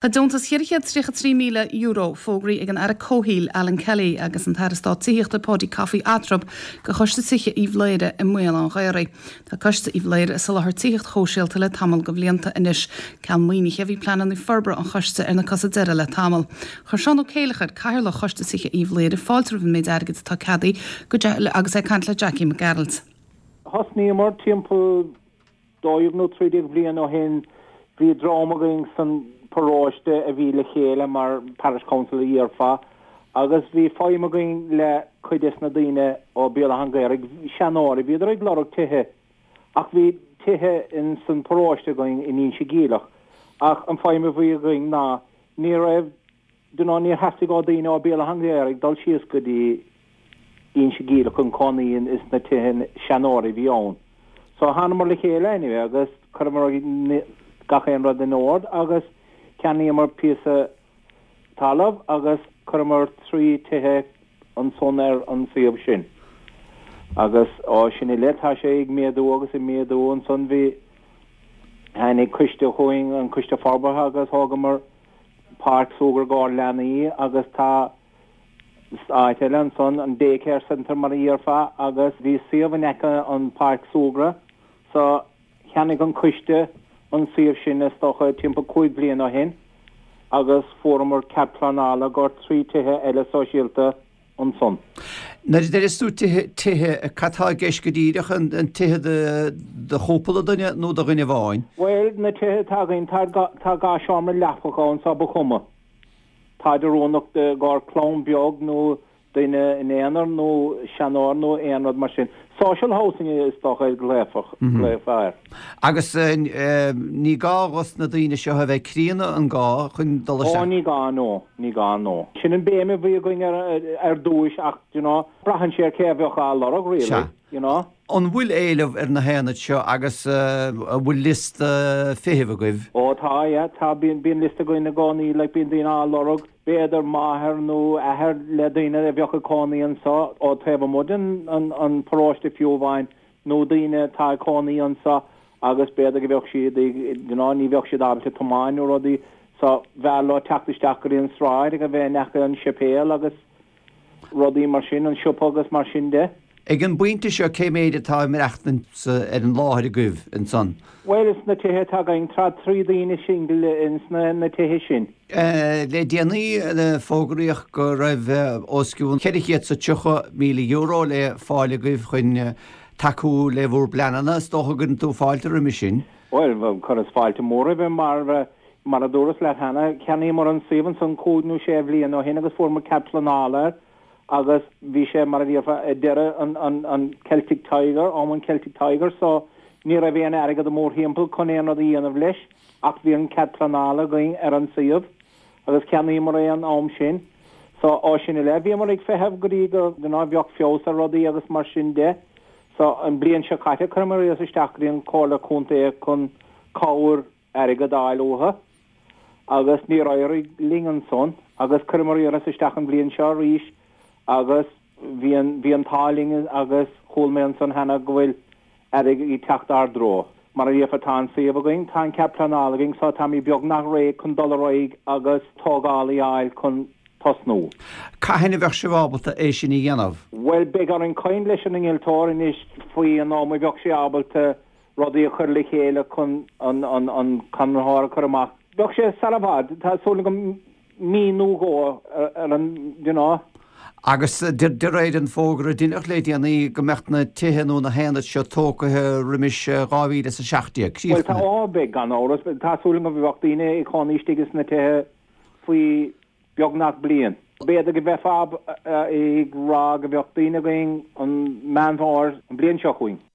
Tá deontas €433,000 fógraithe ag an Aire Comhshaoil Alan Kelly agus an tAire Stáit Tithíochta Paudie Coffey Eatrab do Choiste Tithe Uíbh Laoghaire i mBéal Átha'n Ghaorthaidh. Tá Coiste Uíbh Laoghaire ag soláthar tithíocht shóisialta le tamall de bhlianta anois. Ceal maoinithe bhí pleananna forbartha an choiste ar na cosa deiridh le tamall. Chuir Seán Ó Céileachair, Cathaoirleach Choiste Tithe Uíbh Laoghaire, fáilte roimh an méid airgid atá ceadaithe go agus é ag caint le Jackie Mac Gearailt. Thosnaíomar timpeall 12 nó 13 bhliain ó shin bhí dream againn san paróiste a bhí le chéile mar Parish Council a dhéarfá agus bhí feidhm againn le cuid des na daoine ó Béal Átha'n Ghaorthaidh, seanóirí, bhíodar ag lorg tithe ach bhí tithe in san paróiste againn in Inse Geimhleach ach an feidhm a bhí againn ná ní raibh you know níor theastaigh ó daoine ó Béal Átha'n Ghaorthaidh dul síos go dtí Inse Geimhleach chun cónaí in is na tithe seanóirí a bhí ann. So thánamar le chéile anyway agus chuireamar gach aon rud in ord agus cheannaíomar píosa talamh agus chuireamar 3 tithe ansan ar an suíomh sin. Agus ó sin i leith tá sé ag méadú agus ag méadú ansan bhí tháinig coiste chugainn an coiste forbartha agus thógamar páirc súgradh i gcomhair leanaí agus tá áit eile ansan, an Day Care Centre mar a dhéarfá, agus bhí suíomh in aice an páirc súgradh so cheannaigh an coiste an suíomh sin is dócha timpeall 5 bliana ó shin agus fuaireamar cead pleanála i gcomhair 3 tithe eile sóisialta ansan. Nuair a deireas tú tithe, tithe, cad tá i gceist go díreach, an tithe do chúpla duine nó do dhuine amháin? Bhuel, na tithe atá againn, tá 2 seomra leapacha ann so ba chuma. Táid oiriúnach i gcomhair clann beag nó duine in aonar nó seanóir nó aon rud mar sin. Social housing is dócha a ghlaofá air. Agus ní gá dhos na daoine seo a bheith críonna, an gá, chun dul isteach? Ó ní gá no, ní gá no. Sin an béim a bhí againn ar dtúis ach, do you know, braitheann sé ar cé a bheadh á lorg really, you know. An bhfuil éileamh ar na haonaid seo agus an bhfuil liosta feithimh agaibh? Ó tá, yeah, tá, bíonn, bíonn liosta againn i gcónaí, like bíonn daoine á lorg, b'fhéidir máthair nó athair le daoine a bheadh ag cónaí anso ó taobh amuigh den an, an paróiste fiú amháin nó daoine atá ag cónaí anso agus b'fhéidir go bheadh siad ag, you know, ní bheadh siad ábalta tiomáin nó rudaí so b'fhearr leo teacht isteach go dtí an sráid agus a bheith in aice an séipéal agus rudaí mar sin, an siopa agus mar sin de. Ag an bpointe seo, cé méid atá ag maireachtaint ar an láthair agaibh ansan? Bhuel, ins na tithe atá againn, tá 3 daoine single ins na tithe sin. Le déanaí, fógraíodh go raibh os cionn €430,000 le fáil agaibh chun tacú le bhur bpleananna. Is dócha go gcuireann tú fáilte roimhe sin? Bhuel, chuireas fáilte mór roimhe mar, mar a dúras leat cheana, cheannaíomar an suíomh ansan cúig nó sé bhliain ó shin agus fuaireamar cead pleanála air agus bhí sé, mar a déarfá, ag deireadh an Celtic Tiger, am an Celtic Tiger so ní raibh aon airgead mórthimpeall chun aon rud a dhéanamh leis ach bhí an cead pleanála againn ar an suíomh agus cheannaíomar é an am sin so ó sin i leith bhíomar ag feitheamh go dtí go mbeadh feabhas ar rudaí agus mar sin de so an bliain seo caite chuireamar iarratas isteach go dtí an Comhairle Contae chun cabhair airgead a fháil uathu agus níor éirigh linn ansan agus chuireamar iarratas isteach an bhliain seo arís agus bhí an bhí an t-ádh linn agus chuala mé ansan cheana go bhfuil airgead ag teacht ár dtreo. Mar a déarfá tá an suíomh againn, tá an cead pleanála againn so táimid beagnach réidh chun dul ar aghaidh agus tógálaí a fháil chun tosnú. Cathain a bheadh sibh ábalta é sin a dhéanamh? Bhuel beidh orainn caint leis an innealtóir anois faoi an am a bheadh sé ábalta rudaí a chur le chéile chun an conraitheoir a chur amach. Bheadh sé sar i bhfad, tá súil agam mí nó dhó ar an, you know. Agus de réir an fógra a deineadh le déanaí go mbeadh na tithe nó na haonaid seo tógtha roimis 2017, críochnaithe. Bhuel tá, ó beidh gan amhras. Tá súil agam go mbeadh daoine ag cónaí istigh sna tithe faoi beagnach bliain. B'fhéidir go mbeifeá ag rá go mbeadh daoine againn an Meán Fómhair an bhliain seo chugainn.